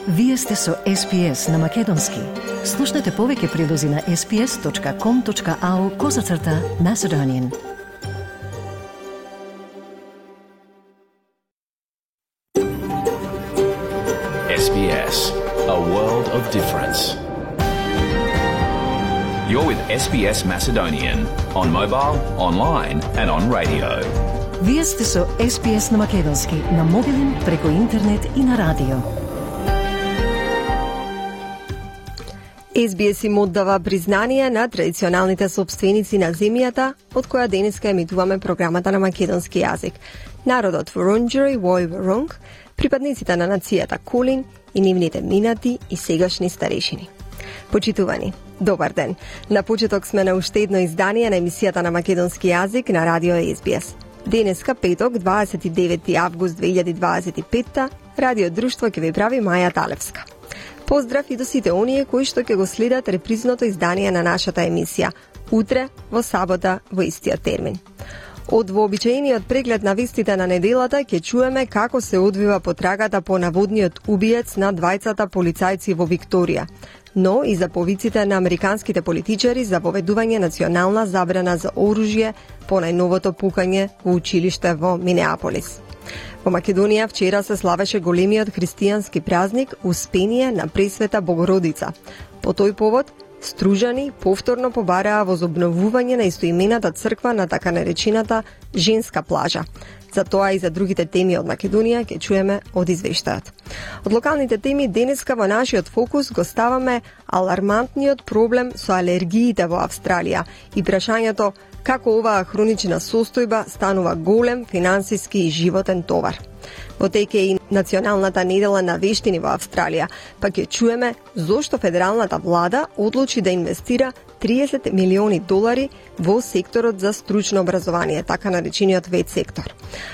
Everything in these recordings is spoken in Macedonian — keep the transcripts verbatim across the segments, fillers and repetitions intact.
Вие сте со Ес Би Ес на Македонски. Слушнете повеќе прилози на ес би ес точка ком точка ау козацрта Macedonian. Ес Би Ес, a world of difference. You're with Ес Би Ес Macedonian on mobile, online and on radio. Вие сте со Ес Би Ес на Македонски на мобилен, преку интернет и на радио. Ес Би Ес им оддава признание на традиционалните собственици на земјата, од која денеска емитуваме програмата на македонски јазик. Народот Вурундџери Вој Вурунг, припадниците на нацијата Кулин и нивните минати и сегашни старешини. Почитувани, добар ден. На почеток сме на уште едно издание на емисијата на македонски јазик на радио Ес Би Ес. Денеска, петок, дваесет и девети август две илјади дваесет и петта, радио Друштво ќе ви прави Маја Талевска. Поздрав и до сите оние кои што ќе го следат репризното издание на нашата емисија, утре, во сабота, во истиот термин. Од вообичаениот преглед на вестите на неделата ќе чуеме како се одвива потрагата по наводниот убиец на двајцата полицајци во Викторија, но и за повиците на американските политичари за воведување национална забрана за оружје по најновото пукање во училиште во Минеаполис. Во Македонија вчера се славеше големиот христијански празник Успение на Пресвета Богородица. По тој повод, стружани повторно побараа возобновување на истоимената црква на така наречената женска плажа. За тоа и за другите теми од Македонија ќе чуеме од извештајот. Од локалните теми денеска во нашиот фокус го ставаме алармантниот проблем со алергиите во Австралија и прашањето како оваа хронична состојба станува голем финансиски и животен товар. Во теке и националната недела на вештини во Австралија, па ќе чуеме зошто федералната влада одлучи да инвестира триесет милиони долари во секторот за стручно образование, така наречениот вет сектор.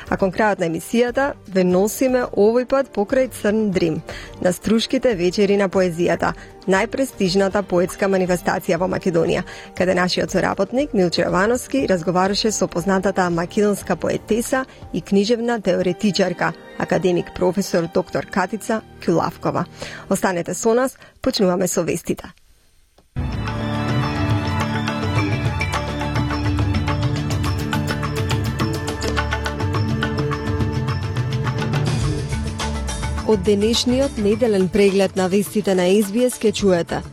А кон крајот на емисијата ве носиме овој пат покрај Црн Дрим, на струшките вечери на поезијата, најпрестижната поетска манифестација во Македонија, каде нашиот соработник Милчо Јовановски разговараше со познатата македонска поетеса и книжевна теоретичарка, академик професор доктор Катица Кјулавкова. Останете со нас, почнуваме со вестите. Од денешниот неделен преглед на вестите на Ес Би Ес ке чуете.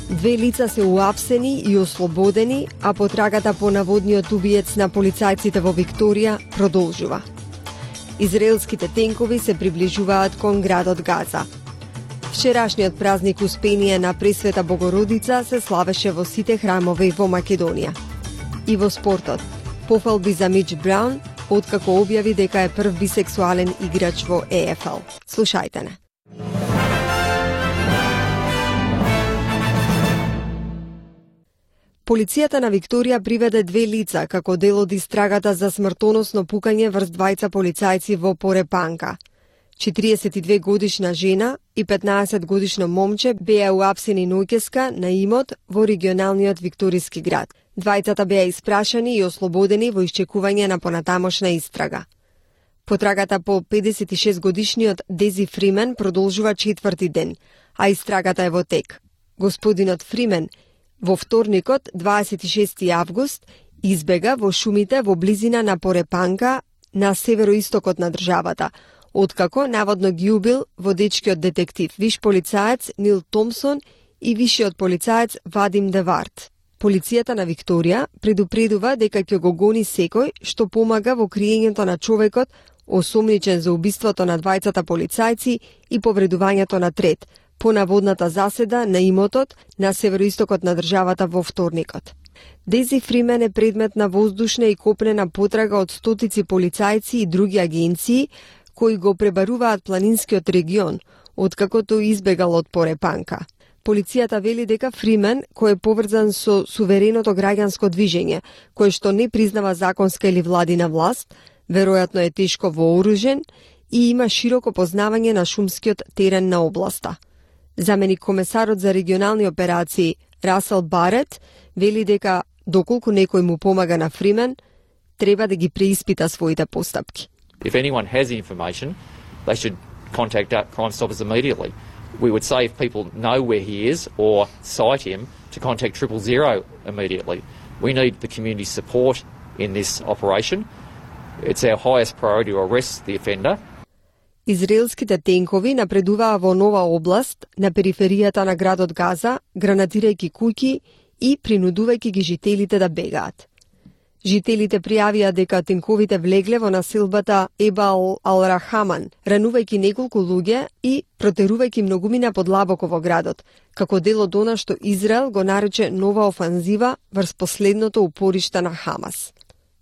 Две лица се уапсени и ослободени, а потрагата по наводниот убиец на полицајците во Викторија продолжува. Израелските тенкови се приближуваат кон градот Газа. Вчерашниот празник Успение на Пресвета Богородица се славеше во сите храмови во Македонија. И во спортот, пофалби за Мич Браун, откако објави дека е прв бисексуален играч во Е Еф Ел. Слушајте не. Полицијата на Викторија приведе две лица како дел од истрагата за смртоносно пукање врз двајца полицајци во Порепанка. четириесет и две годишна жена и петнаесет годишно момче беа уапсени ноќеска на имот во регионалниот викториски град. Двајцата беа испрашани и ослободени во исчекување на понатамошна истрага. Потрагата по педесет и шест годишниот Дези Фримен продолжува четврти ден, а истрагата е во тек. Господинот Фримен во вторникот, дваесет и шести август, избега во шумите во близина на Порепанка на североистокот на државата, откако наводно ги убил водечкиот детектив, виш полицаец Нил Томсон и вишиот полицаец Вадим Девард. Полицијата на Викторија предупредува дека ќе го гони секој што помага во криењето на човекот осомничен за убиството на двајцата полицајци и повредувањето на трет по наводната заседа на имотот на североистокот на државата во вторникот. Дези Фримен е предмет на воздушна и копнена потрага од стотици полицајци и други агенции кои го пребаруваат планинскиот регион, откако тој избегал од Порепанка. Полицијата вели дека Фримен, кој е поврзан со сувереното граѓанско движење, кој што не признава законска или владина власт, веројатно е тешко вооружен и има широко познавање на шумскиот терен на областа. Заменик комесарот за регионални операции Расел Барет вели дека доколку некој му помага на Фримен, треба да ги преиспита своите постапки. If anyone has information, they should contact Crime Stoppers immediately. we would say if people know where he is or cite him to contact triple zero immediately. We need the community support in this operation. It's our highest priority to arrest the offender. Израелските тенкови напредуваа во нова област на периферијата на градот Газа, гранатирајќи куќи и принудувајќи ги жителите да бегаат. Жителите пријавија дека тенковите влегле во населбата Ебал Ал-Рахаман, ранувајќи неколку луѓе и протерувајќи многумина подлабоко во градот, како дел од она што Израел го нарече нова офанзива врз последното упориште на Хамас.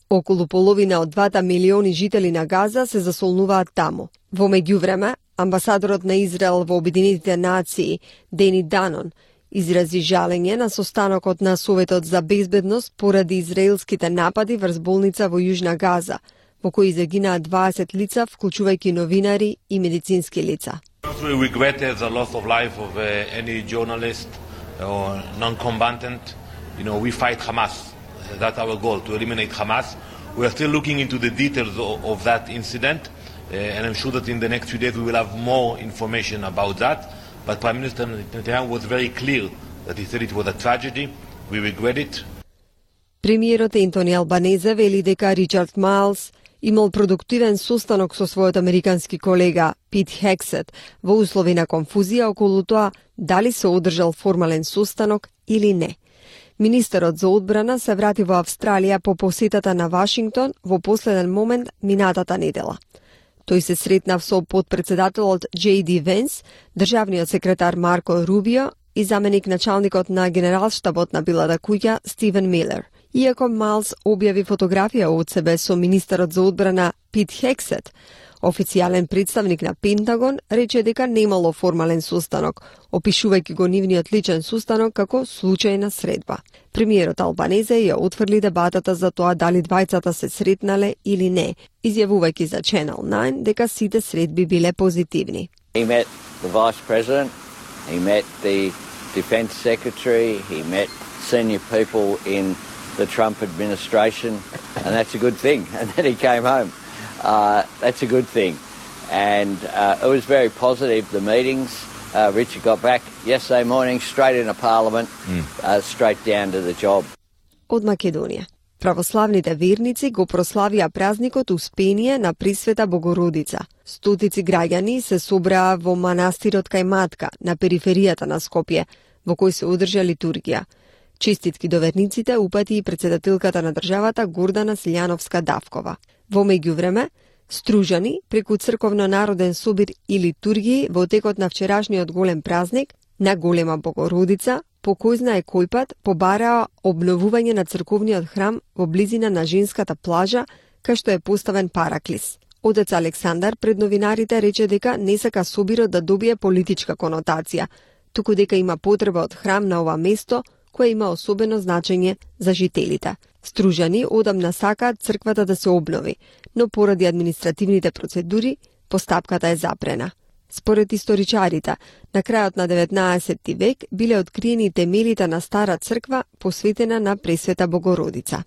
Околу половина од двата милиони жители на Газа се засолнуваат таму. Во меѓувреме, амбасадорот на Израел во Обединетите нации, Дени Данон, изрази жалење на состанокот на Советот за безбедност поради израелските напади врз болница во Јужна Газа, во кои загинаа дваесет лица, вклучувајќи новинари и медицински лица. We regret the loss of life of uh, any journalist or non-combatant. You know, we fight Hamas. That's our goal, to eliminate Hamas. We are still looking into the details of, of that incident, uh, and I'm sure that in the next few days we will have more information about that. But Prime Minister Netanyahu was very clear that he said it was a tragedy. We regret it. Премиерот Ентони Албанезе вели дека Ричард Майлс имал продуктивен состанок со својот американски колега Пит Хексет во услови на конфузија околу тоа дали се одржал формален состанок или не. Министерот за одбрана се врати во Австралија по посетата на Вашингтон во последен момент минатата недела. Тој се сретнав со подпредседателот Джей Ди Венс, државниот секретар Марко Рубио и заменик началникот на генералштабот на Белата куќа Стивен Милер. Иако Майлс објави фотографија од себе со министерот за одбрана Пит Хексет, официјален представник на Пентагон рече дека немало формален состанок, опишувајќи го нивниот личен состанок како случајна средба. Премиерот Албанезе ја отфрли дебатата за тоа дали двајцата се сретнале или не, изјавувајќи за Channel nine дека сите средби биле позитивни. He met the vice president, he met the defense secretary, he met senior people in the Trump administration, and that's a good thing. And then he came home. Uh, that's a good thing. And uh, it was very positive, the meetings. Uh, Richard got back yesterday morning, straight into Parliament, mm. uh, straight down to the job. Од Македонија. Православните верници го прославија празникот Успение на Пресвета Богородица. Стотици граѓани се собраа во манастирот кај Матка, на периферијата на Скопје, во кој се одржа литургија. Честитки до верниците упати и председателката на државата Гордана Силјановска-Давкова. Во меѓувреме, стружани преку црковно-народен собир и литургии во текот на вчерашниот голем празник на Голема Богородица, по кој знае кој пат побараа обновување на црковниот храм во близина на женската плажа, кај што е поставен параклис. Отец Александар пред новинарите рече дека не сака собирот да добие политичка конотација, туку дека има потреба од храм на ова место, кој има особено значење за жителите. Стружани одамна сакаат црквата да се обнови, но поради административните процедури, постапката е запрена. Според историчарите, на крајот на деветнаесетти век биле откриени темелите на стара црква посветена на Пресвета Богородица.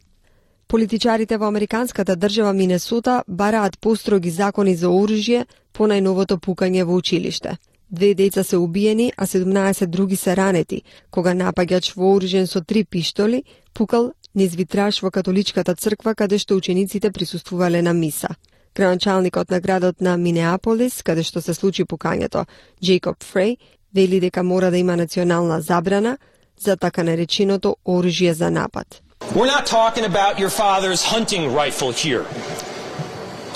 Политичарите во американската држава Минесота бараат построги закони за оружје по најновото пукање во училиште. Две деца се убиени, а седумнаесет други се ранети, кога напаѓач вооружен со три пиштоли пукал низ витраж во католичката црква каде што учениците присуствувале на миса. Градоначалникот на градот на Минеаполис, каде што се случи пукањето, Джейкоб Фреј, вели дека мора да има национална забрана за така нареченото оружје за напад. We're not talking about your father's hunting rifle here.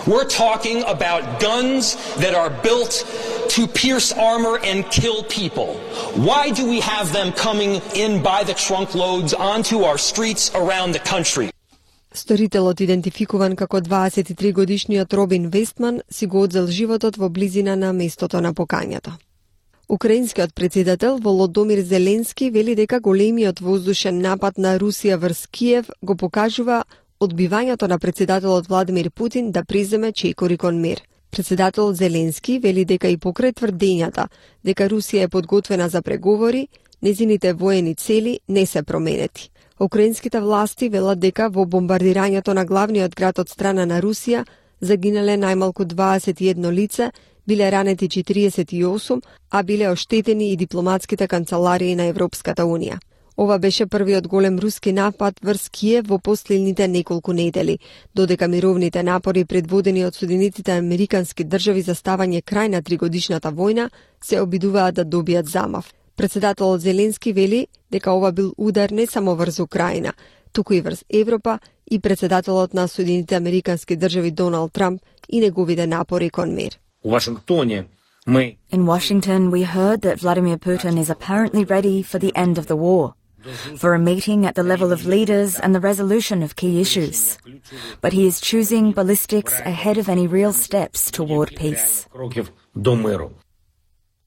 We're talking about guns that are built to pierce armor and kill people. Why do we have them coming in by the trunk loads onto our streets around the country? Сторителот, идентификуван како дваесет и три годишниот Робин Вестман, си го одзел животот во близина на местото на покањето. Украинскиот председател Володомир Зеленски вели дека големиот воздушен напад на Русија врз Киев го покажува одбивањето на председателот Владимир Путин да преземе чекори кон мир. Председателот Зеленски вели дека и покрај тврдењата дека Русија е подготвена за преговори, незините воени цели не се променети. Украинските власти велат дека во бомбардирањето на главниот град од страна на Русија загинале најмалку дваесет и едно лице, биле ранети четириесет и осум, а биле оштетени и дипломатските канцеларии на Европската Унија. Ова беше првиот голем руски напад врз Киев во последните неколку недели, додека мировните напори предводени од Соединетите американски држави за ставање крај на тригодишната војна се обидуваат да добијат замав. Председателот Зеленски вели дека ова бил удар не само врз Украина, туку и врз Европа и председателот на Соединетите американски држави Доналд Трамп и неговите напори кон мир. У Вашингтоне мы In Washington, we heard that Vladimir Putin is apparently ready for the end of the war, for a meeting at the level of leaders and the resolution of key issues. But he is choosing ballistics ahead of any real steps toward peace. до миру.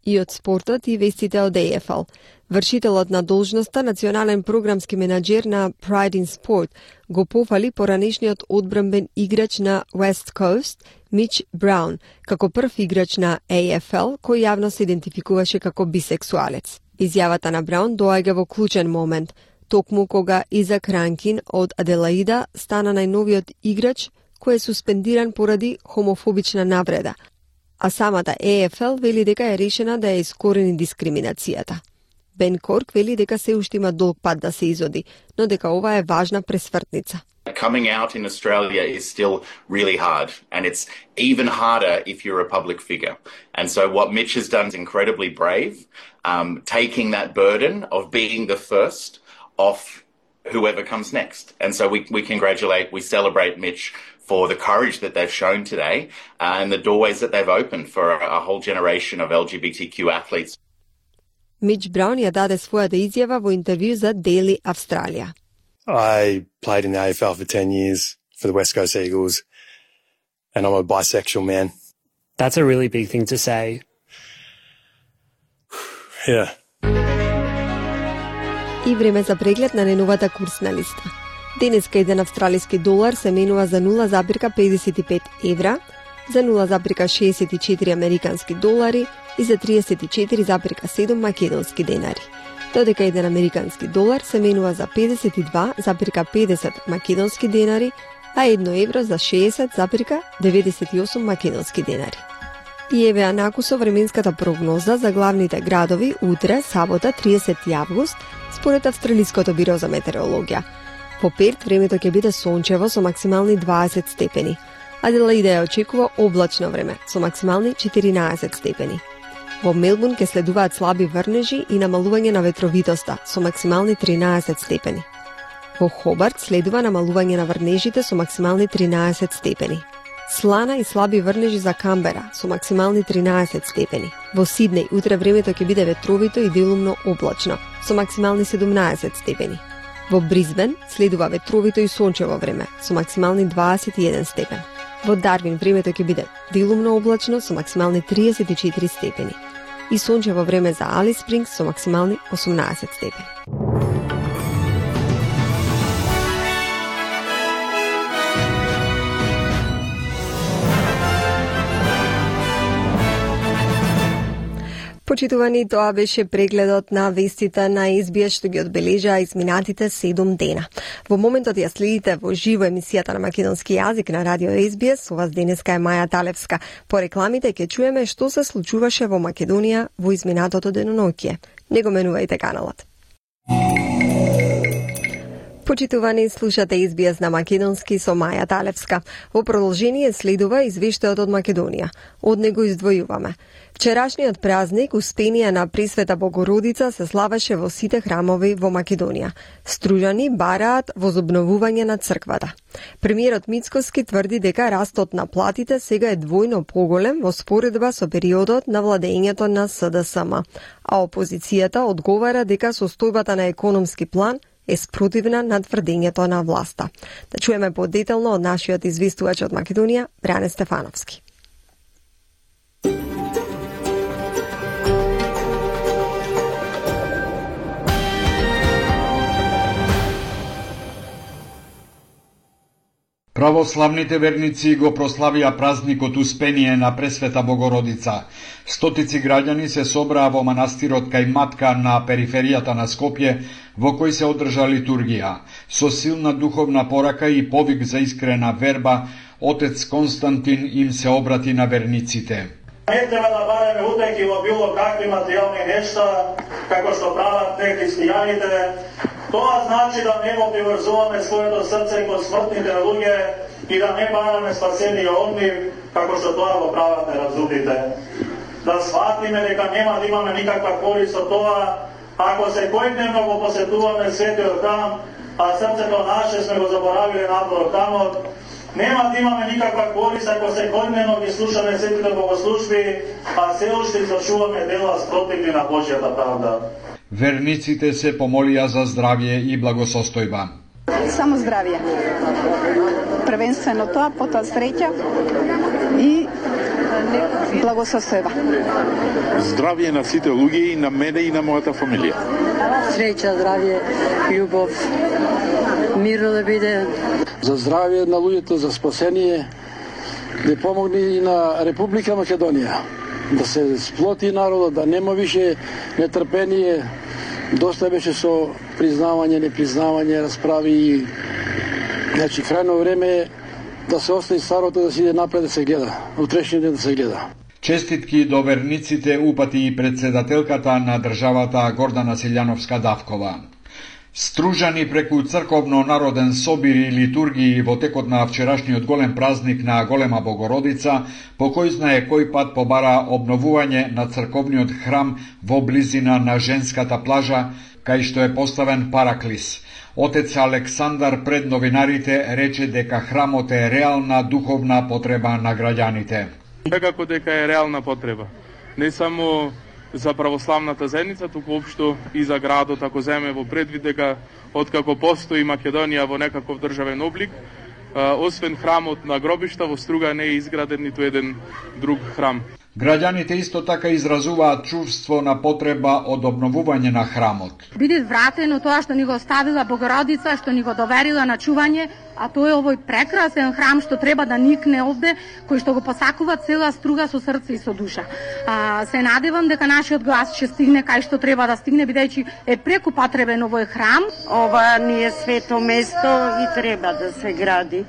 И од спортот и вестите од Е Ф Л. Вршителот на должноста национален програмски менаџер на Pride in Sport го пофали поранешниот одбранбен играч на West Coast, Мич Браун, како прв играч на Е Ф Л кој јавно се идентификуваше како бисексуалец. Изјавата на Браун доаѓа во клучен момент, токму кога Изак Ранкин од Аделаида стана најновиот играч кој е суспендиран поради хомофобична навреда, а самата Е Ф Л вели дека е решена да ја искорени дискриминацијата. Бен Корк вели дека се уште има долг пат да се изоди, но дека ова е важна пресвртница. Coming out in Australia is still really hard, and it's even harder if you're a public figure. And so what Mitch has done is incredibly brave, um, taking that burden of being the first off whoever comes next. And so we, we congratulate, we celebrate Mitch for the courage that they've shown today uh, and the doorways that they've opened for a, a whole generation of L G B T Q athletes. Мич Браун ја даде својата изјава во интервју за Daily Australia. I played in the A F L for ten years for the West Coast Eagles, and I'm a bisexual man. That's a really big thing to say. Yeah. И време за преглед на најновата курсна листа. Денеска еден австралиски долар се менува за нула запирка педесет и пет евра, за нула запирка шеесет и четири американски долари и за триесет и четири запирка седум македонски денари. Додека еден американски долар се менува за педесет и два запирка педесет македонски денари, а едно евро за шеесет запирка деветдесет и осум македонски денари. И еве накусо временската прогноза за главните градови утре, сабота, триесети август, според Австралиското биро за метеорологија. По Перт времето ќе биде сончево со максимални дваесет степени. Аделаида ја очекува облачно време со максимални четиринаесет степени. Во Мелбурн ќе следуваат слаби врнежи и намалување на ветровитоста со максимални тринаесет степени. Во Хобарт следува намалување на врнежите со максимални тринаесет степени. Слана и слаби врнежи за Камбера со максимални тринаесет степени. Во Сиднеј утре времето ќе биде ветровито и делумно облачно со максимални седумнаесет степени. Во Бризбен следува ветровито и сончево време со максимални дваесет и еден степен. Во Дарвин времето ќе биде делумно облачно со максимални триесет и четири степени. И сончево време за Алис Спрингс со максимални осумнаесет степени. Почитувани, тоа беше прегледот на вестите на Ес Би Ес што ги одбележаа изминатите седум дена. Во моментот ја следите во живо емисијата на македонски јазик на радио Ес Би Ес. Со вас денеска е Маја Талевска. По рекламите ќе чуеме што се случуваше во Македонија во изминатото деноноќие. Не го менувајте каналот. Почитувани, слушате Ес Би Ес на македонски со Маја Талевска. Во продолжение следува извештајот од Македонија. Од него издвојуваме. Вчерашниот празник Успение на Пресвета Богородица се славеше во сите храмови во Македонија. Стружани бараат возобновување на црквата. Премиерот Мицкоски тврди дека растот на платите сега е двојно поголем во споредба со периодот на владењето на С Д С М, а опозицијата одговара дека состојбата на економски план е спротивна на тврдењето на власта. Да чуеме подетелно од нашиот известувач од Македонија, Бране Стефановски. Православните верници го прославија празникот Успение на Пресвета Богородица. Стотици граѓани се собраа во манастирот кај Матка на периферијата на Скопје, во кој се одржа литургија. Со силна духовна порака и повик за искрена верба, отец Константин им се обрати на верниците. Не треба да бараме утеки во било какви материјални нешта, како што прават не христијаните. Тоа значи да не го приврзуваме своето срце кон смртните луѓе и да не бараме спасение од нив, како што тоа го прават неразумните. Да сватиме дека нема да имаме никаква корист од тоа, ако секојдневно го посетуваме светиот храм, а срцето наше сме го заборавиле надвор храмот, нема да имаме никаква корист ако секојдневно ги слушаме светите богослужби, а се уште извршуваме дела спротивни на Божјата правда. Верниците се помолија за здравје и благосостојба. Само здравје. Првенствено тоа, потоа среќа и благосостојба. Здравје на сите луѓе и на мене и на мојата фамилија. Среќа, здравје, љубов, миро да биде. За здравје на луѓето, за спасение, да помогне и на Република Македонија. Да се сплоти народот, да нема више нетрпение. Доста беше со признавање, непризнавање, расправи и значи крајно време е да се остави старото, да се иде напред, да се гледа. Утрешниот ден да се гледа. Честитки до верниците упати и председателката на државата Гордана Силјановска-Давкова. Стружани преку црковно народен собир и литургии во текот на вчерашниот голем празник на Голема Богородица, по кој знае кој пат побара обновување на црковниот храм во близина на женската плажа, кај што е поставен параклис. Отец Александар пред новинарите рече дека храмот е реална духовна потреба на граѓаните. Секако дека е реална потреба. Не само за православната заедница, туку општо и за градот, ако земе во предвид дека откако постои Македонија во некаков државен облик, освен храмот на гробишта, во Струга не е изграден ниту еден друг храм. Граѓаните исто така изразуваат чувство на потреба од обновување на храмот. Биде вратено тоа што ни го оставила Богородица, што ни го доверила на чување, а тоа е овој прекрасен храм што треба да никне овде, кој што го посакува цела Струга со срце и со душа. А, се надевам дека нашиот глас ќе стигне кај што треба да стигне, бидејќи е преку потребен овој храм. Ова ни е свето место и треба да се гради.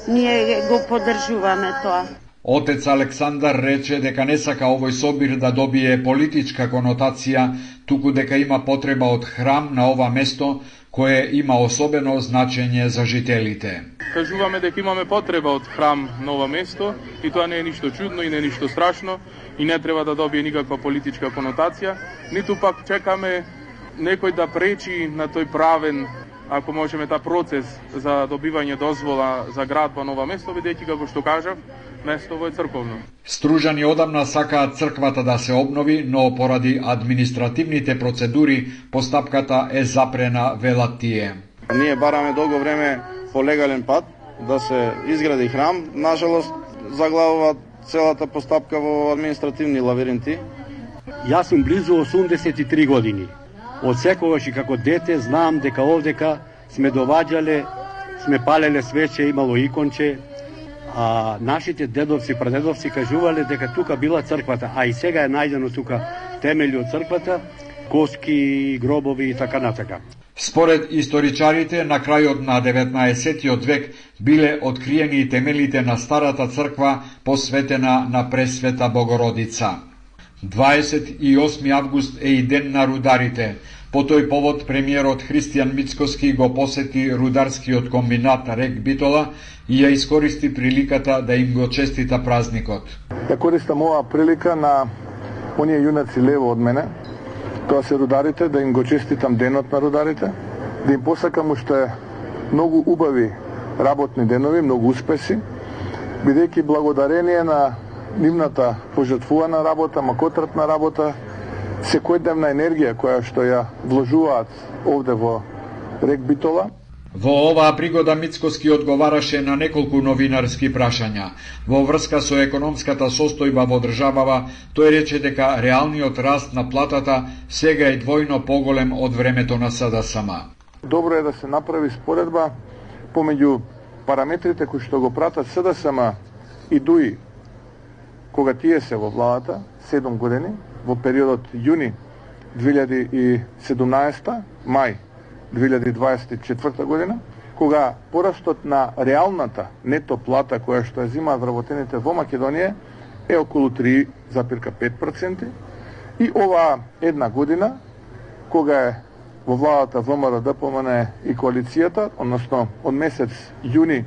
Ние го поддржуваме тоа. Отец Александар рече дека не сака овој собир да добие политичка конотација, туку дека има потреба од храм на ова место, кое има особено значење за жителите. Кажуваме дека имаме потреба од храм на ова место и тоа не е ништо чудно и не е ништо страшно и не треба да добие никаква политичка конотација, ниту пак чекаме некој да пречи на тој правен, ако можеме, та процес за добивање дозвола за градба на ова место, бидејќи како што кажав, место е црковно. Стружани одамна сакаат црквата да се обнови, но поради административните процедури постапката е запрена, велат тие. Ние бараме долго време по легален пат да се изгради храм. Нажалост, заглавува целата постапка во административни лавиринти. Јас сум близу осумдесет и три години. Од секогаш и како дете знам дека овдека сме доваѓале, сме палеле свече, имало иконче, а нашите дедовци, прадедовци кажувале дека тука била црквата, а и сега е најдено тука темели од црквата, коски, гробови и така натака. Според историчарите, на крајот на деветнаесеттиот век биле откриени темелите на старата црква посветена на Пресвета Богородица. дваесет и осми август е и ден на рударите. По тој повод премиерот Христијан Мицкоски го посети рударскиот комбинат Рек Битола и ја искористи приликата да им го честита празникот. Ја користам оваа прилика на оние јунаци лево од мене, тоа се рударите, да им го честитам денот на рударите, да им посакам уште многу убави работни денови, многу успеси, бидејќи благодарение на нивната пожртвувана работа, макотратна работа, секојдневна енергија која што ја вложуваат овде во Рек Битола. Во оваа пригода Мицкоски одговараше на неколку новинарски прашања. Во врска со економската состојба во државава, тој рече дека реалниот раст на платата сега е двојно поголем од времето на СДСМ. Добро е да се направи споредба помеѓу параметрите кои што го пратат СДСМ и ДУИ кога тие се во владата, седум години, во периодот јуни две илјади и седумнаесета, мај две илјади дваесет и четврта година, кога порастот на реалната нето плата која што ја зимаат вработените во Македонија е околу три запирка пет проценти и оваа една година, кога е во владата ВМРО, ДПМН и коалицијата, односно од месец јуни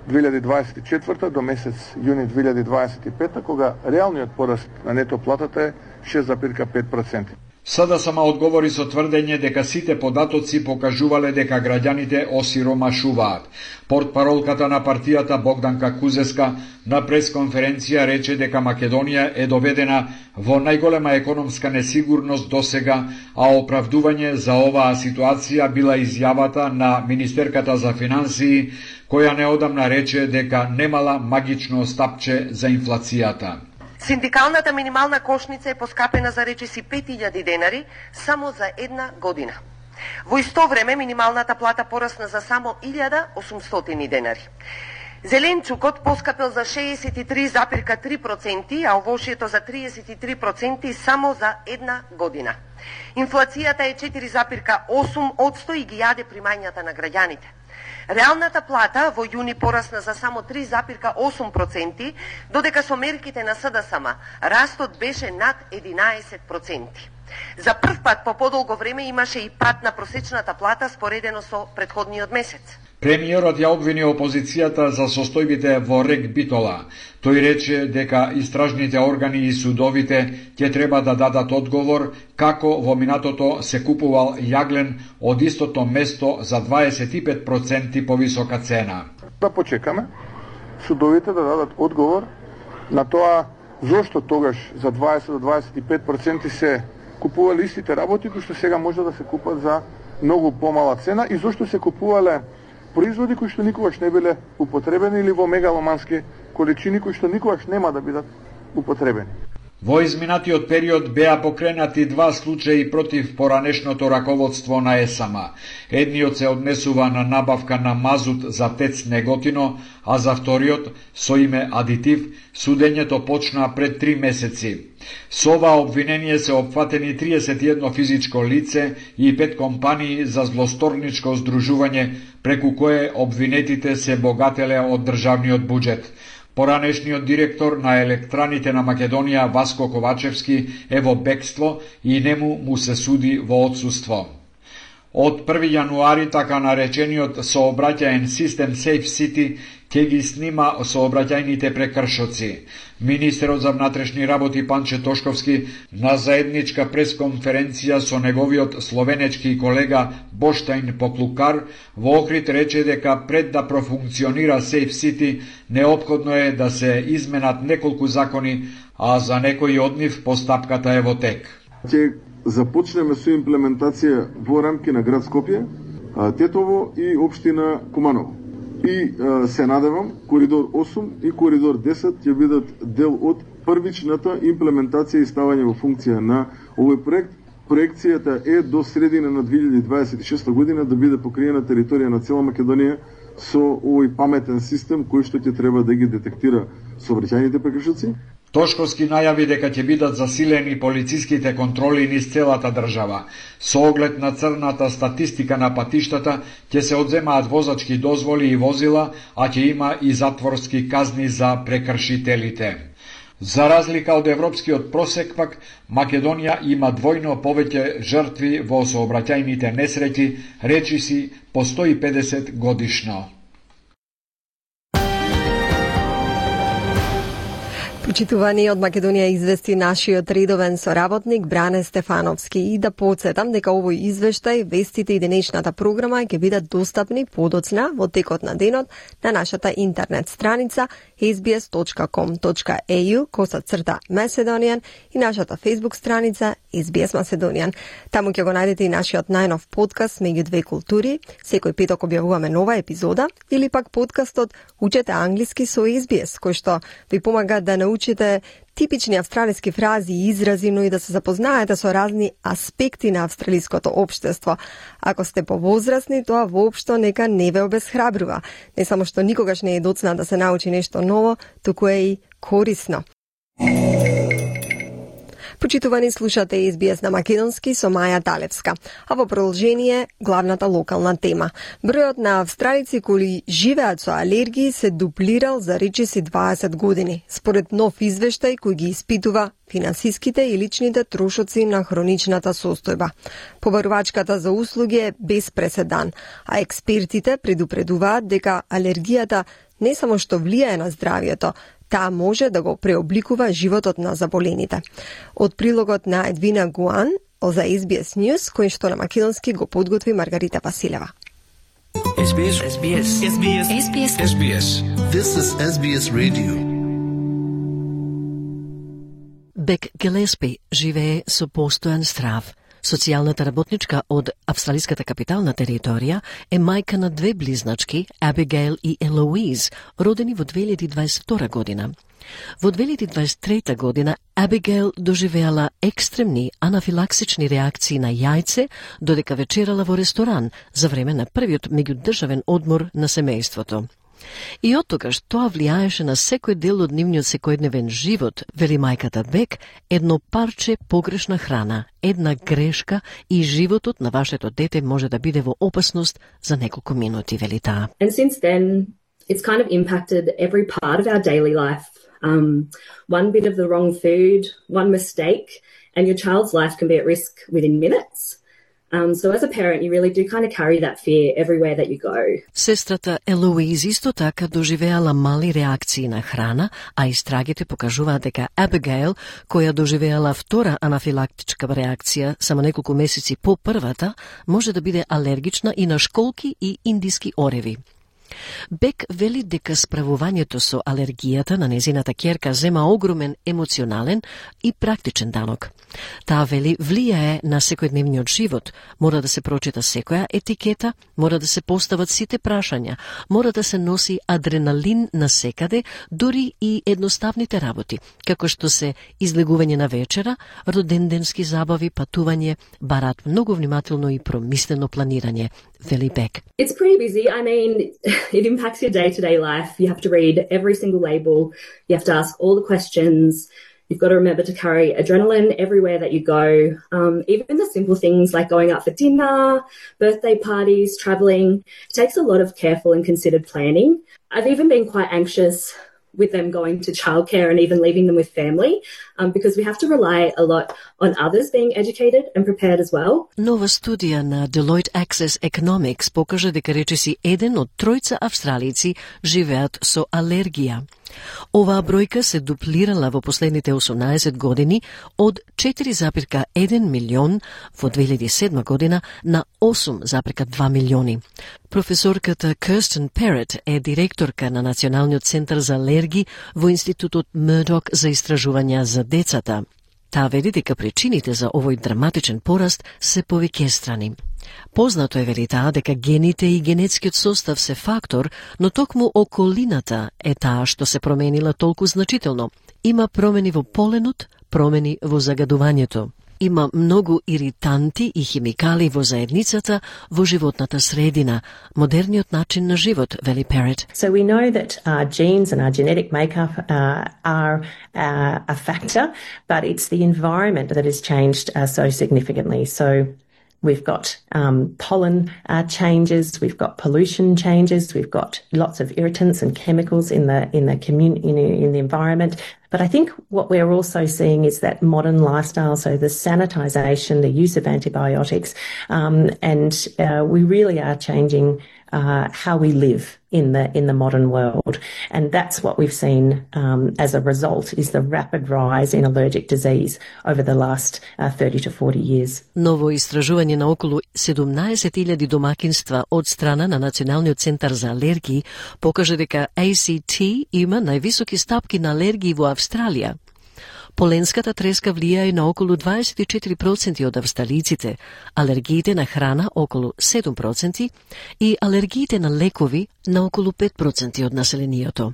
две илјади дваесет и четврта до месец јуни две илјади дваесет и пета, кога реалниот пораст на нето платата е шест запирка пет проценти. Сада сама одговори со тврдење дека сите податоци покажувале дека граѓаните осиромашуваат. Портпаролката на партијата Богданка Кузеска на пресконференција рече дека Македонија е доведена во најголема економска несигурност досега, а оправдување за оваа ситуација била изјавата на министерката за финансии, која неодамна рече дека немала магично стапче за инфлацијата. Синдикалната минимална кошница е поскапена за речиси пет илјади денари само за една година. Во исто време минималната плата порасна за само илјада осумстотини денари. Зеленчукот поскапел за шеесет и три запирка три проценти, а овошјето за триесет и три проценти само за една година. Инфлацијата е четири запирка осум одсто и ги јаде примањата на граѓаните. Реалната плата во јуни порасна за само три запирка осум проценти, додека со мерките на СДСМ растот беше над единаесет проценти. За прв пат по подолго време имаше и пат на просечната плата споредено со претходниот месец. Премиерот ја обвини опозицијата за состојбите во РЕК Битола. Тој рече дека истражните органи и судовите ќе треба да дадат одговор како во минатото се купувал јаглен од истото место за дваесет и пет проценти повисока цена. Да почекаме судовите да дадат одговор на тоа зошто тогаш за дваесет до дваесет и пет проценти се купувале истите работи кои што сега може да се купат за многу помала цена и зошто се купувале производи кои што никогаш не биле употребени или во мегаломански количини кои што никогаш нема да бидат употребени. Во изминатиот период беа покренати два случаи против поранешното раководство на ЕСАМ. Едниот се однесува на набавка на мазут за ТЕЦ Неготино, а за вториот, со име Адитив, судењето почна пред три месеци. Со ова обвинение се опфатени триесет и едно физичко лице и пет компании за злосторничко здружување, преку кое обвинетите се богателе од државниот буџет. Поранешниот директор на електраните на Македонија Васко Ковачевски е во бегство и нему му се суди во отсуство. Од први јануари така наречениот сообраќаен систем Safe City ќе ги снима сообраќајните прекршоци. Министерот за внатрешни работи Панче Тошковски на заедничка пресконференција со неговиот словенечки колега Боштајн Поклукар во Охрид рече дека пред да профункционира Safe City неопходно е да се изменат неколку закони, а за некои од нив постапката е во тек. Ќе започнеме со имплементација во рамки на град Скопје, Тетово и општина Куманово. И а, се надевам коридор осум и коридор десет ќе бидат дел од првичната имплементација и ставање во функција на овој проект. Проекцијата е до средина на две илјади дваесет и шеста година да биде покриена територија на цела Македонија со овој паметен систем кој што ќе треба да ги детектира сообраќајните прекршоци. Тошковски најави дека ќе бидат засилени полициските контроли низ целата држава. Со оглед на црната статистика на патиштата, ќе се одземаат возачки дозволи и возила, а ќе има и затворски казни за прекршителите. За разлика од европскиот просек пак, Македонија има двојно повеќе жртви во сообраќајните несреќи, речиси по сто и педесет годишно. Почитувани, од Македонија извести нашиот редовен соработник Бране Стефановски и да подсетам дека овој извештај, вестите и денешната програма ќе бидат достапни подоцна во текот на денот на нашата интернет страница ес би ес точка ком точка е ю коса црта Macedonian и нашата Facebook страница ес би ес Macedonian. Таму ќе го најдете и нашиот најнов подкаст Меѓу две култури. Секој петок објавуваме нова епизода или пак подкастот Учете англиски со ес би ес, кој што ви помага да научите типични австралиски фрази и изрази, но и да се запознаете со разни аспекти на австралиското општество. Ако сте повозрасни, тоа воопшто нека не ве обесхрабрува. Не само што никогаш не е доцна да се научи нешто ново, туку е и корисно. Почитувани, слушате Ес Би Ес на македонски со Маја Далевска. А во продолжение, главната локална тема. Бројот на австралици кои живеат со алергии се дуплирал за речиси дваесет години, според нов извештај кој ги испитува финансиските и личните трошоци на хроничната состојба. Побарувачката за услуги е без преседан, а експертите предупредуваат дека алергијата не само што влијае на здравието, таа може да го преобликува животот на заболените. Од прилогот на Едвина Гуан за Ес Би Ес News, кој што на македонски го подготви Маргарита Василева. Ес Би Ес. Ес Би Ес. Ес Би Ес. Ес Би Ес. Ес Би Ес. This is Ес Би Ес Radio. Бек Гелеспи живее со постојан страв. Социјалната работничка од австралиската капитална територија е мајка на две близначки, Абигейл и Елоиз, родени во две илјади дваесет и втора година. Во две илјади дваесет и трета година Абигейл доживеала екстремни анафилаксични реакции на јајце додека вечерала во ресторан за време на првиот меѓудржавен одмор на семејството. И од тогаш тоа влијаеше на секој дел од нивниот секојдневен живот, вели мајката Бек, едно парче погрешна храна, една грешка и животот на вашето дете може да биде во опасност за неколку минути, вели таа. And since then, it's kind of impacted every part of our daily life. Um, one bit of the wrong food, one mistake, and your child's life can be at risk within minutes. Um, so as a parent, you really do kind of carry that fear everywhere that you go. Сестрата Елоиз исто така доживеала мали реакции на храна, а истрагите покажуваат дека Абигейл, која доживеала втора анафилактичка реакција само неколку месеци по првата, може да биде алергична и на школки и индиски ореви. Бек вели дека справувањето со алергијата на незината ќерка зема огромен емоционален и практичен данок. Таа вели влијае на секојдневниот живот, мора да се прочита секоја етикета, мора да се постават сите прашања, мора да се носи адреналин на секаде, дури и едноставните работи, како што се излегување на вечера, роденденски забави, патување, бараат многу внимателно и промислено планирање, вели Бек. It's pretty busy. I mean, it impacts your day-to-day life. You have to read every single label. You have to ask all the questions. You've got to remember to carry adrenaline everywhere that you go. Um, even the simple things like going out for dinner, birthday parties, traveling. It takes a lot of careful and considered planning. I've even been quite anxious with them going to childcare and even leaving them with family, um, because we have to rely a lot on others being educated and prepared as well. Нова студија на Deloitte Access Economics покажа дека речиси еден од тројца австралици живеат со алергија. Оваа бројка се дуплирала во последните осумнаесет години од четири запирка еден милион во две илјади и седма година на осум запирка два милиони. Професорката Кирстен Перет е директорка на Националниот центар за алергии во Институтот Мурдок за истражувања за децата. Таа вели дека причините за овој драматичен пораст се повеќестрани. Познато е, вели таа, дека гените и генетскиот состав се фактор, но токму околината е таа што се променила толку значително. Има промени во поленот, промени во загадувањето. Има многу иританти и химикали во заедницата, во животната средина, модерниот начин на живот, вели Перет. So we know that our genes and our genetic makeup uh, are uh, a factor, but it's the environment that has changed uh, so significantly. So we've got um, pollen uh, changes, we've got pollution changes, we've got lots of irritants and chemicals in the in the commun- in, in the environment. But I think what we're also seeing is that modern lifestyle, so the sanitisation, the use of antibiotics, um, and uh, we really are changing uh, how we live in the in the modern world. And that's what we've seen um, as a result is the rapid rise in allergic disease over the last uh, thirty to forty years. Ново истражување на околу седумнаесет илјади домакинства од страна на Националниот центар за алергии покажа дека А Си Ти има највисоки стапки на алергии во Австралија. Поленската треска влијае на околу дваесет и четири проценти од австралиците, алергиите на храна околу седум проценти и алергиите на лекови на околу пет проценти од населението.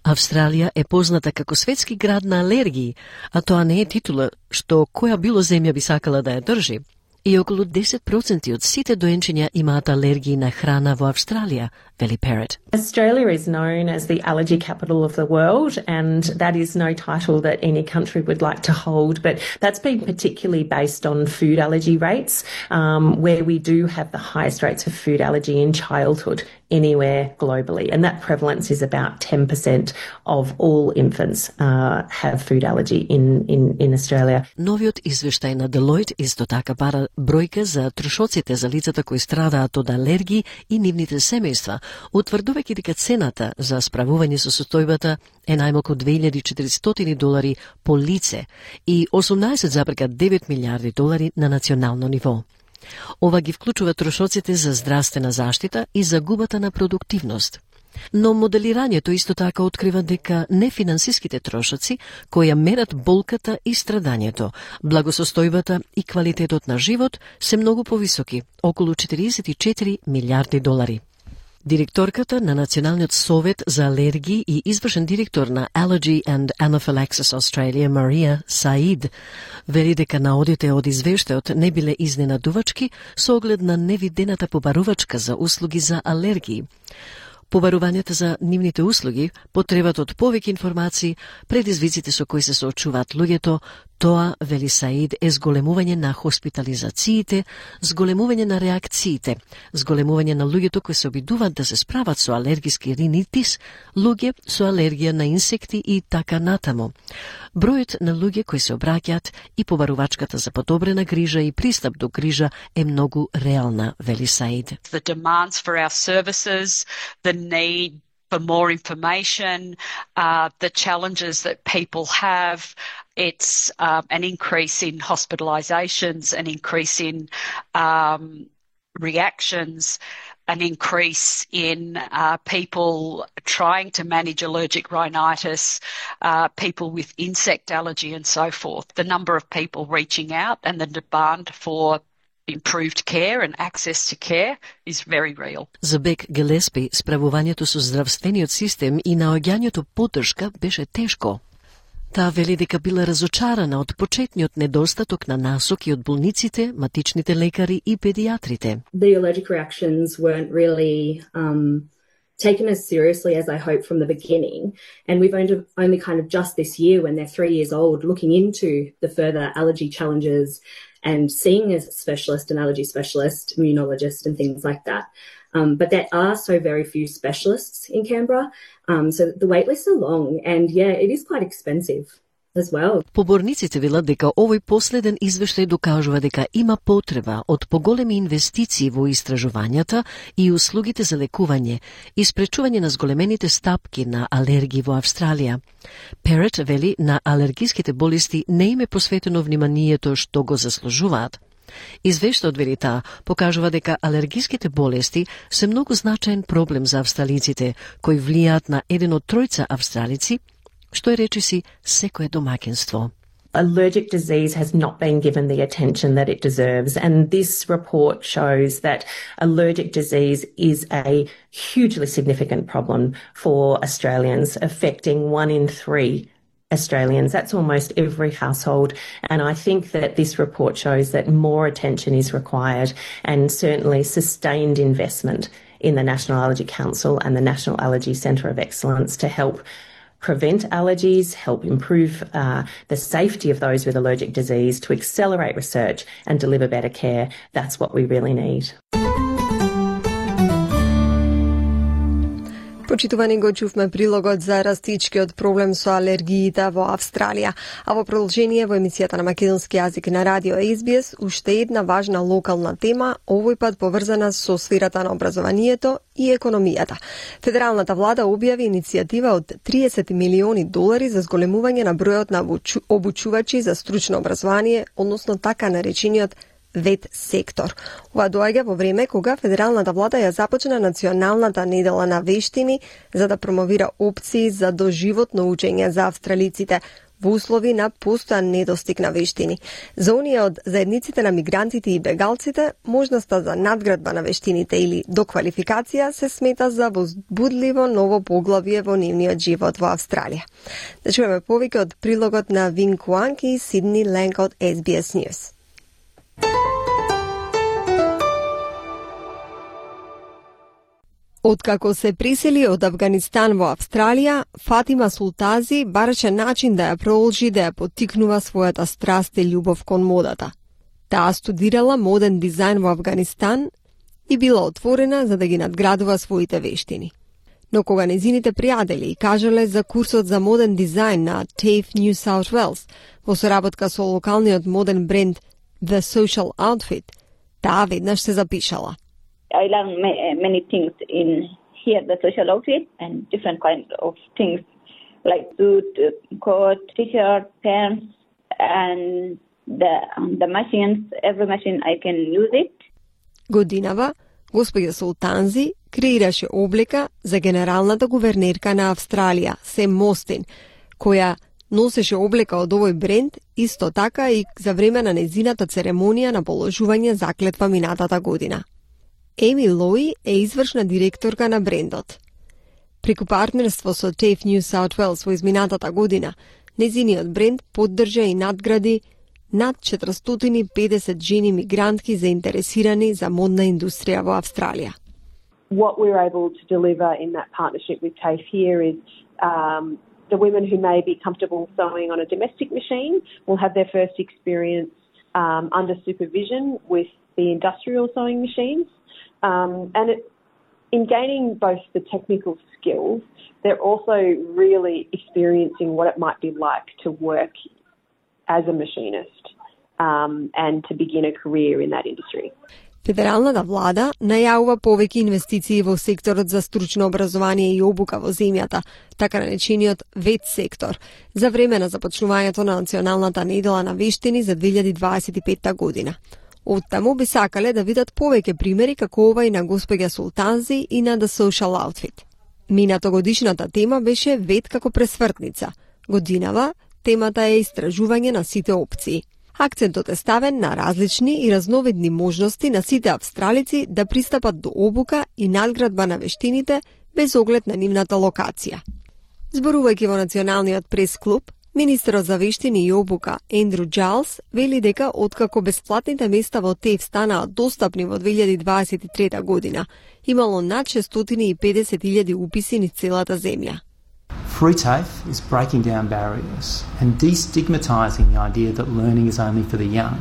Австралија е позната како светски град на алергии, а тоа не е титула што која било земја би сакала да ја држи. И околу десет проценти од сите доенчиња имаат алергии на храна во Австралија, вели Parrott. Australia is known as the allergy capital of the world, and that is no title that any country would like to hold, but that's been particularly based on food allergy rates, um, where we do have the highest rates of food allergy in childhood anywhere globally, and that prevalence is about ten percent of all infants uh, have food allergy in, in, in Australia. Новиот извештај на Deloitte исто така бара бројка за трошоците за лицата кои страдаат од алергии и нивните семејства, утврдувајќи дека цената за справување со состојбата е најмалку две илјади и четиристотини долари по лице и осумнаесет зарез девет милијарди долари на национално ниво. Ова ги вклучува трошоците за здравствена заштита и загубата на продуктивност. Но моделирањето исто така открива дека нефинансиските трошоци кои ја мерат болката и страдањето, благосостојбата и квалитетот на живот се многу повисоки, околу четириесет и четири милијарди долари. Директорката на Националниот совет за алергии и извршен директор на Allergy and Anaphylaxis Australia, Марија Саид, вели дека наодите од извештајот не биле изненадувачки со оглед на невидената побарувачка за услуги за алергии. Побарувањата за нивните услуги, потребата од повеќе информации, предизвиците со кои се соочуваат луѓето, тоа, вели Саид, е зголемување на хоспитализациите, зголемување на реакциите, зголемување на луѓето кои се обидуваат да се справат со алергиски ринитис, луѓе со алергија на инсекти и така натаму. Бројот на луѓе кои се обраќаат и побарувачката за подобрена грижа и пристап до грижа е многу реална, вели Саид. The demands for our services, the need for more information, uh, the challenges that people have. It's um, an increase in hospitalisations, an increase in um, reactions, an increase in uh, people trying to manage allergic rhinitis, uh, people with insect allergy and so forth. The number of people reaching out and the demand for improved care and access to care is very real. За Бек Гелеспи, справувањето со здравствениот систем и наоѓањето поддршка беше тешко. Таа вели дека била разочарана од почетниот недостаток на насоки од болниците, матичните лекари и педиатрите. The allergic reactions weren't really um, taken as seriously as I hoped from the beginning, and we've only, only kind of just this year, when they're three years old, looking into the further allergy challenges and seeing a specialist, an allergy specialist, immunologist and things like that. Um, but there are so very few specialists in Canberra, um, so the wait lists are long, and yeah, it is quite expensive as well. Поборниците велат дека овој последен извештај докажува дека има потреба од поголеми инвестиции во истражувањата и услугите за лекување и спречување на зголемените стапки на алергии во Австралија. Parrott вели на алергиските болести не им е посветено вниманието што го заслужуваат. Извештајот, вели таа, покажува дека алергиските болести се многу значаен проблем за австралиците, кои влијаат на еден од тројца австралици, што е речиси секое домаќинство. Allergic disease has not been given the attention that it deserves, and this report shows that allergic disease is a hugely significant problem for Australians, affecting one in three Australians. That's almost every household, and I think that this report shows that more attention is required, and certainly sustained investment in the National Allergy Council and the National Allergy Centre of Excellence to help prevent allergies, help improve uh, the safety of those with allergic disease, to accelerate research and deliver better care. That's what we really need. Почитувани, го чувме прилогот за растичкиот проблем со алергиите во Австралија, а во продолжение во емисијата на македонски јазик на радио Ес Би Ес уште една важна локална тема, овој пат поврзана со сферата на образованието и економијата. Федералната влада објави иницијатива од триесет милиони долари за зголемување на бројот на обучувачи за стручно образование, односно така наречениот вет сектор. Ова доаѓа во време кога федералната влада ја започна националната недела на вештини за да промовира опции за доживотно учење за австралиците во услови на постојан недостиг на вештини. За оние од заедниците на мигрантите и бегалците, можноста за надградба на вештините или доквалификација се смета за возбудливо ново поглавје во нивниот живот во Австралија. Да чуеме повеќе од прилогот на Вин Куанг и Сидни Ленк од Ес Би Ес News. Откако се пресели од Афганистан во Австралија, Фатима Султази бараше начин да ја продолжи да ја поттикнува својата страст и љубов кон модата. Таа студирала моден дизајн во Афганистан и била отворена за да ги надградува своите вештини. Но кога незините пријатели и кажале за курсот за моден дизајн на TAFE New South Wales во соработка со локалниот моден бренд The Social Outfit, таа веднаш се запишала. I learned many things in here, the social outfit, and different kinds of things like suit, coat, t-shirt, pants, and the um, the machines. Every machine I can use it. Годинава, господја Султанзи креираше облека за генералната гувернерка на Австралија, Сем Мостин, која носеше облека од овој бренд, исто така и за време на незината церемонија на положување заклетва минатата година. Еми Лои е извршна директорка на брендот. Преку партнерство со TAFE New South Wales во изминатата година, незиниот бренд поддржа и надгради над четиристотини и педесет жени мигрантки заинтересирани за модна индустрија во Австралија. What we're able to deliver in that partnership with TAFE here is um, the women who may be comfortable sewing on a domestic machine will have their first experience um, under supervision with the industrial sewing machines. Um, and it, in gaining both the technical skills, they're also really experiencing what it might be like to work as a machinist um, and to begin a career in that industry. Федералната влада најавува повеќе инвестиции во секторот за стручно образование и обука во земјата, така наречениот вет сектор, за време на започнувањето на Националната недела на вештини за две илјади дваесет и петта година. Оттаму би сакале да видат повеќе примери како ова и на господја Султанзи и на The Social Outfit. Минатогодишната тема беше вет како пресвртница. Годинава темата е истражување на сите опции. Акцентот е ставен на различни и разновидни можности на сите австралици да пристапат до обука и надградба на вештините без оглед на нивната локација. Зборувајќи во Националниот прес-клуб, министерот за вештини и обука Ендрю Джайлс вели дека откако бесплатните места во TAFE станаа достапни во две илјади дваесет и трета година, имало над шестстотини и педесет илјади уписи низ целата земја. Free TAFE is breaking down barriers and destigmatising the idea that learning is only for the young.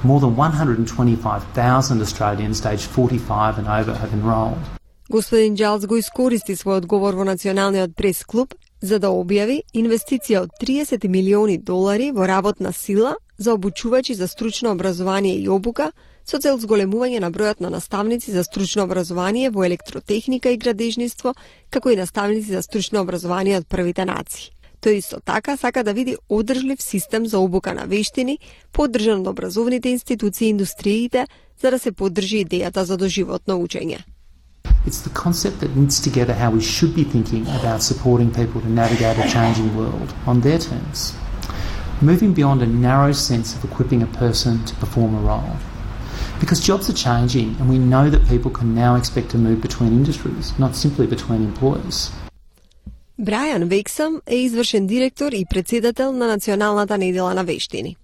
More than one hundred twenty-five thousand Australians aged forty-five and over have enrolled. Господин Джайлс го искористи својот говор во Националниот прес-клуб за да објави инвестиција од триесет милиони долари во работна сила за обучувачи за стручно образование и обука со цел зголемување на бројот на наставници за стручно образование во електротехника и градежниство, како и наставници за стручно образование од првите нации. Тој исто така сака да види одржлив систем за обука на вештини, поддржан од образовните институции и индустриите, за да се поддржи идејата за доживотно учење. It's the concept that knits together how we should be thinking about supporting people to navigate a changing world on their terms, moving beyond a narrow sense of equipping a person to perform a role. Because jobs are changing and we know that people can now expect to move between industries, not simply between employers. Брајан Вексам е извршен директор и председател на Националната недела на вештини.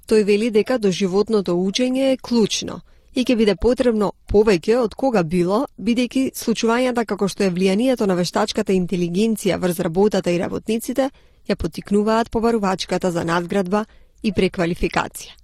Тој вели дека доживотното учење е клучно и ќе биде потребно повеќе од кога било, бидејќи случувањата како што е влијанието на вештачката интелигенција врз работата и работниците ја поттикнуваат побарувачката за надградба и преквалификација.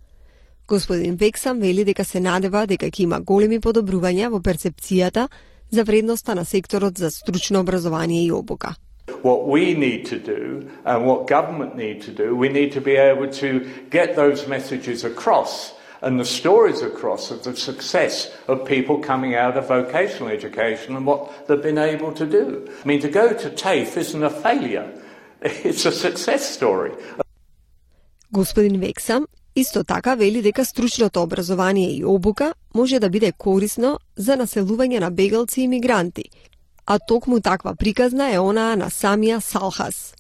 Господин Вексам вели дека се надева дека ќе има големи подобрувања во перцепцијата за вредноста на секторот за стручно образование и обука. What we need to do and what government need to do, we need to be able to get those messages across and the stories across of the success of people coming out of vocational education and what they've been able to do. I mean, to go to TAFE isn't a failure. It's a success story. Господин Вексам исто така вели дека стручното образование и обука може да биде корисно за населување на бегалци и мигранти, а токму таква приказна е онаа на самија Салхас.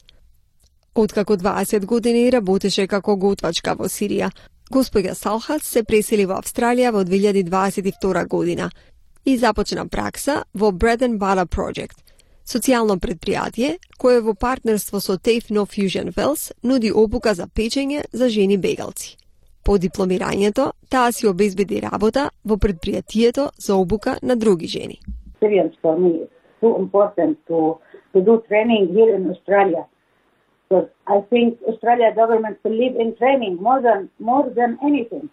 Откако дваесет години работеше како готвачка во Сирија, господја Салхас се пресели во Австралија во две илјади дваесет и втора година и започна пракса во Bread and Butter Project, социјално предпријатие кое во партнерство со TAFE No Fusion Wells нуди обука за печење за жени бегалци. По дипломирањето, таа си обезбеди работа во предпријатието за обука на други жени. experience for me. It's too important to to do training here in Australia. Because I think Australia government believe in training more than more than anything.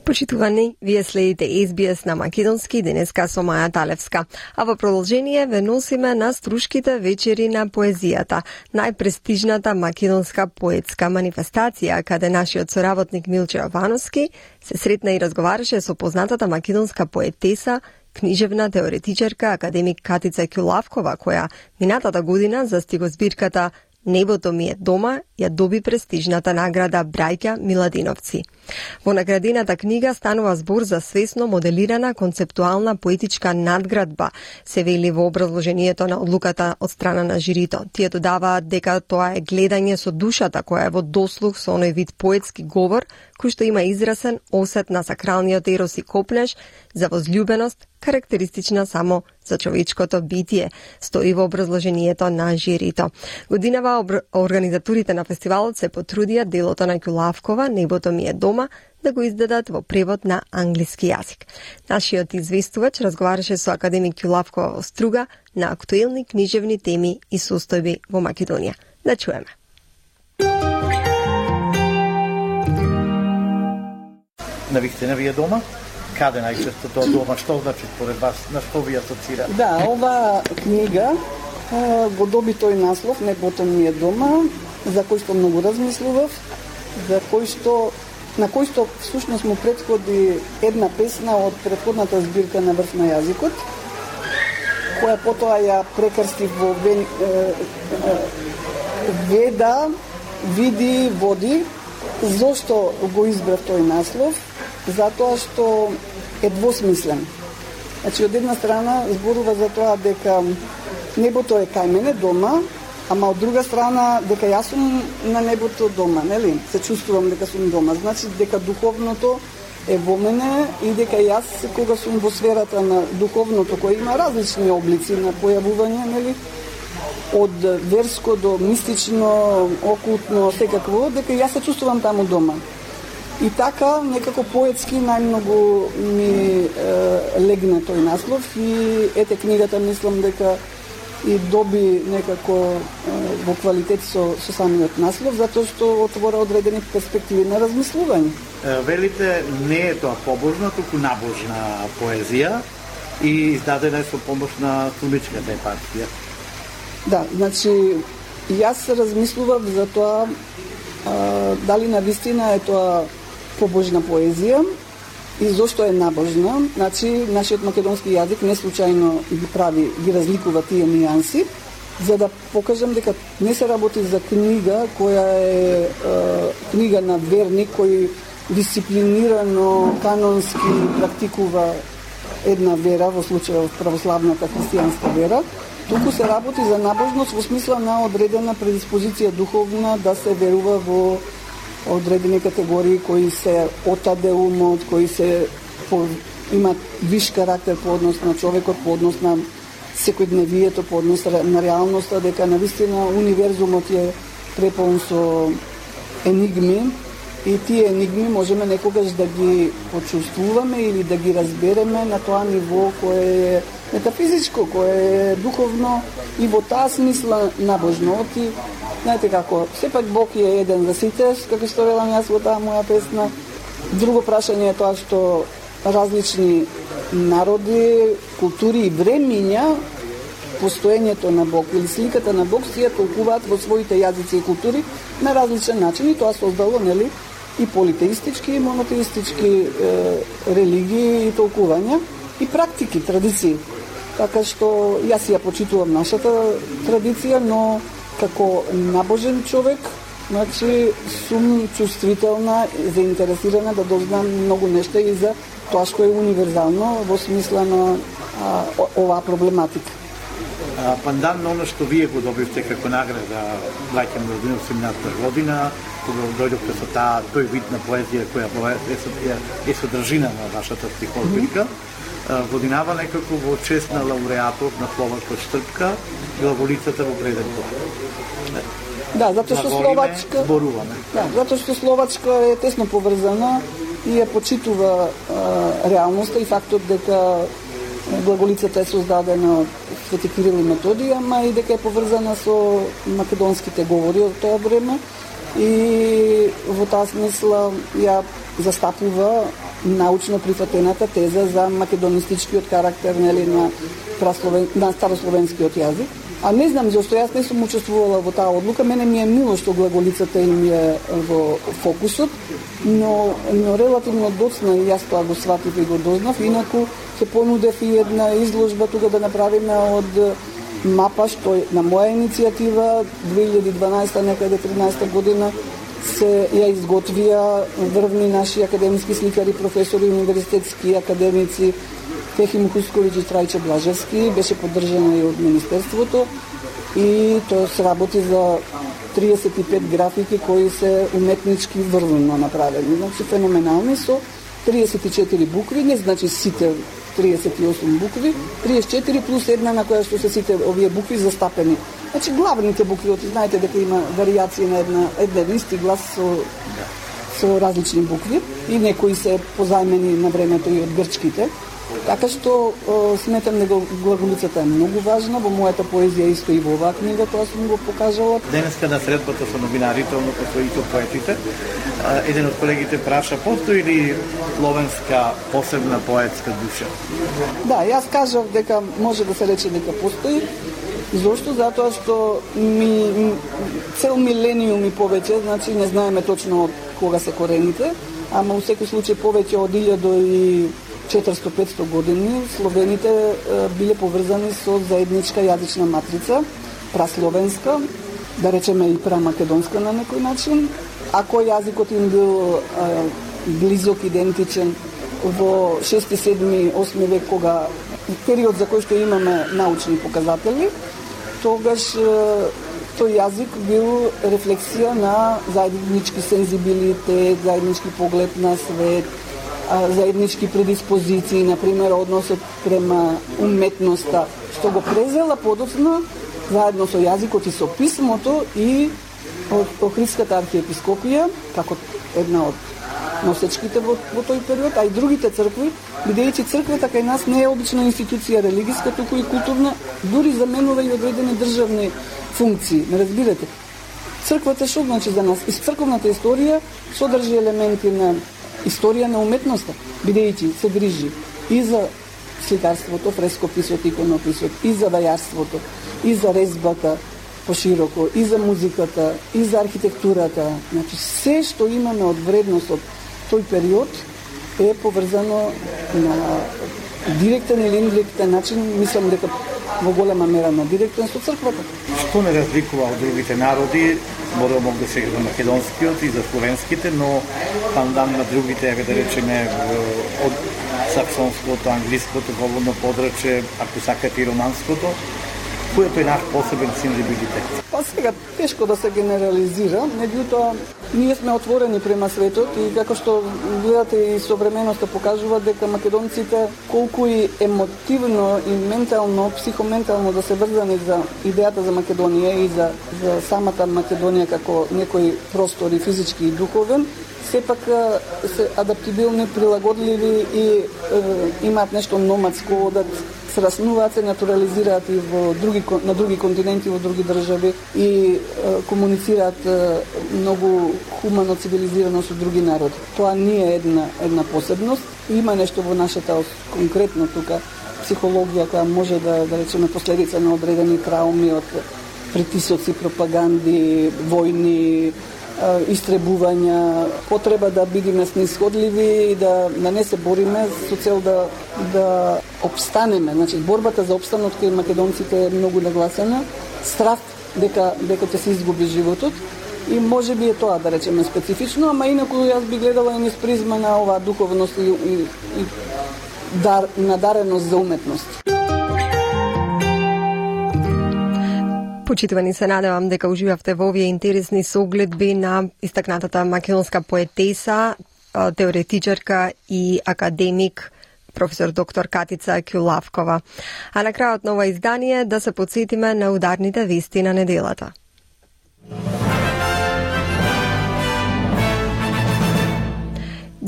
Почитувани, вие следите Ес Би Ес на македонски денеска со Маја Талевска. А во продолжение ве носиме на Струшките вечери на поезијата, најпрестижната македонска поетска манифестација, каде нашиот соработник Милче Јовановски се сретна и разговараше со познатата македонска поетеса, книжевна теоретичарка академик Катица Ќулавкова, која минатата година за стигозбирката Небото ми е дома ја доби престижната награда Браќа Миладиновци. Во наградената книга станува збор за свесно моделирана концептуална поетичка надградба, се вели во образложението на одлуката од страна на жирито. Тие додаваат дека тоа е гледање со душата која е во дослух со оној вид поетски говор кој што има израсен осет на сакралниот ерос и копнеж за возљубеност, карактеристична само за човечкото битие, стои во образложението на жирито. Годинава организаторите на фестивалот се потрудија делото на Ќулавкова Небото ми е дома да го издадат во превод на англиски јазик. Нашиот известувач разговараше со академик Ќулавкова во Струга на актуелни книжевни теми и состојби во Македонија. Да чуеме. Навистина ви е дома? Каде најчесто тоа дома? Што значи според вас? На што ви асоцира? Да, ова книга го доби тој наслов Небото ми е дома, за кој што многу размислував, за кој што на кој што всушност му претходи една песна од претходната збирка На врв на јазикот, која потоа ја прекрстив во вен, е, е, Веда, види, води. Зошто го избрав тој наслов? Затоа што е двосмислен. Значи, од една страна зборува за тоа дека небото е кај мене дома, ама од друга страна дека јас сум на небото дома, нели? Се чувствувам дека сум дома. Значи дека духовното е во мене и дека јас кога сум во сферата на духовното, кој има различни облици на појавување, нели? Од верско до мистично, окултно, секакво, дека јас се чувствувам таму дома. И така, некако поетски најмногу ми е, легна тој наслов и ете книгата мислам дека и доби некако е, во квалитет со, со самиот наслов, затоа што отвора одредени перспективи на размислување. Велите, не е тоа побожна, туку набожна поезија и издадена е со помош на Суничката епархија. Да, значи, јас размислував за тоа а, дали навистина е тоа побожна поезија и зошто е набожна. Значи, нашиот македонски јазик не случајно ги прави, ги разликува тие нијанси, за да покажам дека не се работи за книга која е, е книга на верник кој дисциплинирано, канонски практикува една вера, во случајот православната христијанска вера, туку се работи за набожност во смисла на одредена предиспозиција духовна да се верува во одредени категории кои се отаде умот, кои се по, имат виш карактер по однос на човекот, по однос на секојдневието, по однос на реалноста, дека навистина универзумот е преполн со енигми и тие енигми можеме некогаш да ги почувствуваме или да ги разбереме на тоа ниво кое е метафизичко, кое е духовно и во таа смисла набожно. И знаете како, сепак Бог е еден за сите, како што велам јас во таа моја песна. Друго прашање е тоа што различни народи, култури и времиња постоењето на Бог или сликата на Бог си ја толкуваат во своите јазици и култури на различен начин и тоа создало, нели, и политеистички и монотеистички е, религии и толкувања и практики, традиции. Така што јас ја почитувам нашата традиција, но како набожен човек, значи сум чувствителна и заинтересирана да дознам многу нешта и за тоа што е универзално во смисла на а, оваа проблематика. Пандан на оно што вие го добивте како награда Браќа Миладиновци минатата година, кога дојдовте со таа тој вид на поезија која е, е, е содржина на вашата стихотворка, годинава некако во чест на лауреатот на Словачка Штрпка, глаголицата во преден план. Да, затоа што Словачка зборуваме. Да, затоа што Словачка е тесно поврзана и ја почитува а, реалноста и фактот дека глаголицата е создадена од Свети Кирил и Методија, ама и дека е поврзана со македонските говори од тоа време и во таа смисла ја застапува научно прифатената теза за македонистичкиот карактер, нели, на прасловен, на старословенскиот јазик. А не знам зашто јас не сум учествувала во таа одлука, мене ми е мило што глаголицата им е во фокусот, но, но релативно доцна и јас тоа го сватив и го дознав, инаку се понудев и една изложба тука да направиме од мапа, што на моја иницијатива две илјади и дванаесета некаде тринаесета година се ја изготвија врвни наши академски сликари, професори, универзитетски академици, Техим Хусковиќ и Трајче Блажевски, беше поддржана и од Министерството и тоа се работи за триесет и пет графики кои се уметнички врвно направени. Значи феноменални со триесет и четири букви, не значи сите триесет и осум букви, триесет и четири плюс една на која што се сите овие букви застапени. Значи главните букви, знаете дека има варијации на една еден исти глас со со различни букви и некои се позајмени на времето и од грчките. Така што о, сметам дека глаголицата е многу важна, во мојата поезија исто и во оваа книга, тоа сум го покажала. Денеска на средбата со новинарите, односно и со поетите, еден од колегите праша, постои ли словенска посебна поетска душа? Да, јас кажав дека може да се рече дека постои. Зошто? Затоа што ми, цел милениум и повеќе, значи не знаеме точно од кога се корените, ама у секој случај повеќе од илјада и четиристотини до петстотини години словените е, биле поврзани со заедничка јазична матрица, прасловенска, да речеме и прамакедонска на некој начин. Ако јазикот им бил е, близок, идентичен во шести, седми, осми век, кога период за кој што имаме научни показатели, тогаш е, тој јазик бил рефлексија на заеднички сензибилитет, заеднички поглед на свет, заеднички предиспозиции, например, односот према уметноста, што го презела подоцна заедно со јазикот и со писмото и Охридската архиепископија, како една од носечките во, во тој период, а и другите цркви, бидејќи црквата кај нас не е обична институција религиска, туку и културна, дури заменува и одредени државни функции. Не разбирате? Црквата што значи за нас? Из црковната историја содржи елементи на историја на уметноста, бидејќи се грижи и за сликарството, фрескописот, иконописот, и за вајарството, и за резбата пошироко, и за музиката, и за архитектурата. Значи, се што имаме од вредност од тој период е поврзано на директен или индиректен начин, мислам дека во голема мера на директен со црквата. Што не разликува од другите народи, може мог да се за македонскиот и за словенските, но пандан на другите, еве да речеме, од саксонското, англиското говорно подрачје, ако сакате и романското, којот е наш посебен сензибилитет? Па сега, тешко да се генерализира, меѓутоа, ние сме отворени према светот и како што гледате и современоста покажува дека македонците колку и емотивно и ментално, психоментално да се врзани за идејата за Македонија и за, за самата Македонија како некој простор и физички и духовен, сепак се адаптибилни, прилагодливи и е, имаат нешто номадско, одат, се раснуваат, се натурализираат и во други, на други континенти, во други држави и е, комуницираат е, многу хумано, цивилизирано со други народи. Тоа не е една, една посебност. Има нешто во нашата, конкретно тука, психологија која може да, да речеме последица на одредени трауми од притисоци, пропаганди, војни, истребувања, потреба да бидеме снисходливи и да, да не се бориме со цел да, да обстанеме. Значи, борбата за обстанот кај македонците е многу нагласена. Страх дека, дека ќе се изгуби животот и може би е тоа, да речеме, специфично, ама инаку јас би гледала и низ призма на оваа духовност и, и, и дар, надареност за уметност. Почитувани, се надевам дека уживавте во овие интересни согледби на истакнатата македонска поетеса, теоретичарка и академик професор доктор Катица Кјулавкова. А на крајот на ова издание да се подсетиме на ударните вести на неделата.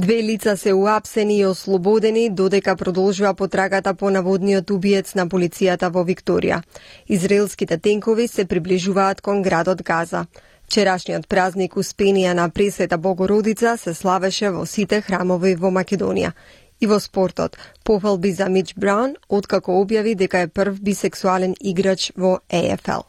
Две лица се уапсени и ослободени додека продолжува потрагата по наводниот убиец на полицијата во Викторија. Израелските тенкови се приближуваат кон градот Газа. Вчерашниот празник Успенија на Пресвета Богородица се славеше во сите храмови во Македонија. И во спортот, пофалби за Мич Браун, откако објави дека е прв бисексуален играч во Е Ф Л.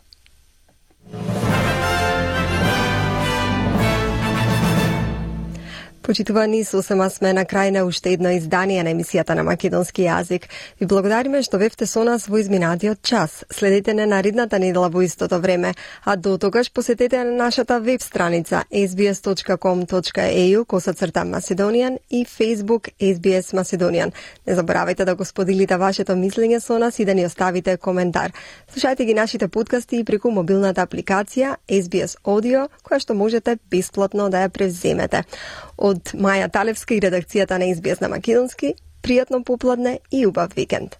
Почитувани, сосема сме на крај на уште едно издание на емисијата на македонски јазик. Ви благодариме што бевте со нас во изминатиот час. Следете не наредната недела во истото време, а до тогаш посетете на нашата веб страница ес би ес точка ком точка е ю косацрта Macedonian и Facebook Ес Би Ес Macedonian. Не заборавајте да го споделите вашето мислење со нас и да ни оставите коментар. Слушајте ги нашите подкасти и преку мобилната апликација Ес Би Ес Audio, која што можете бесплатно да ја превземете. Од Маја Талевска и редакцијата на Ес Би Ес на македонски, пријатно попладне и убав викенд.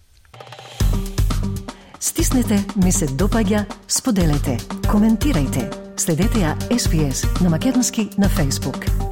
Стиснете, ми се допаѓа, споделете, коментирајте. Следете ја Ес Би Ес на македонски на Facebook.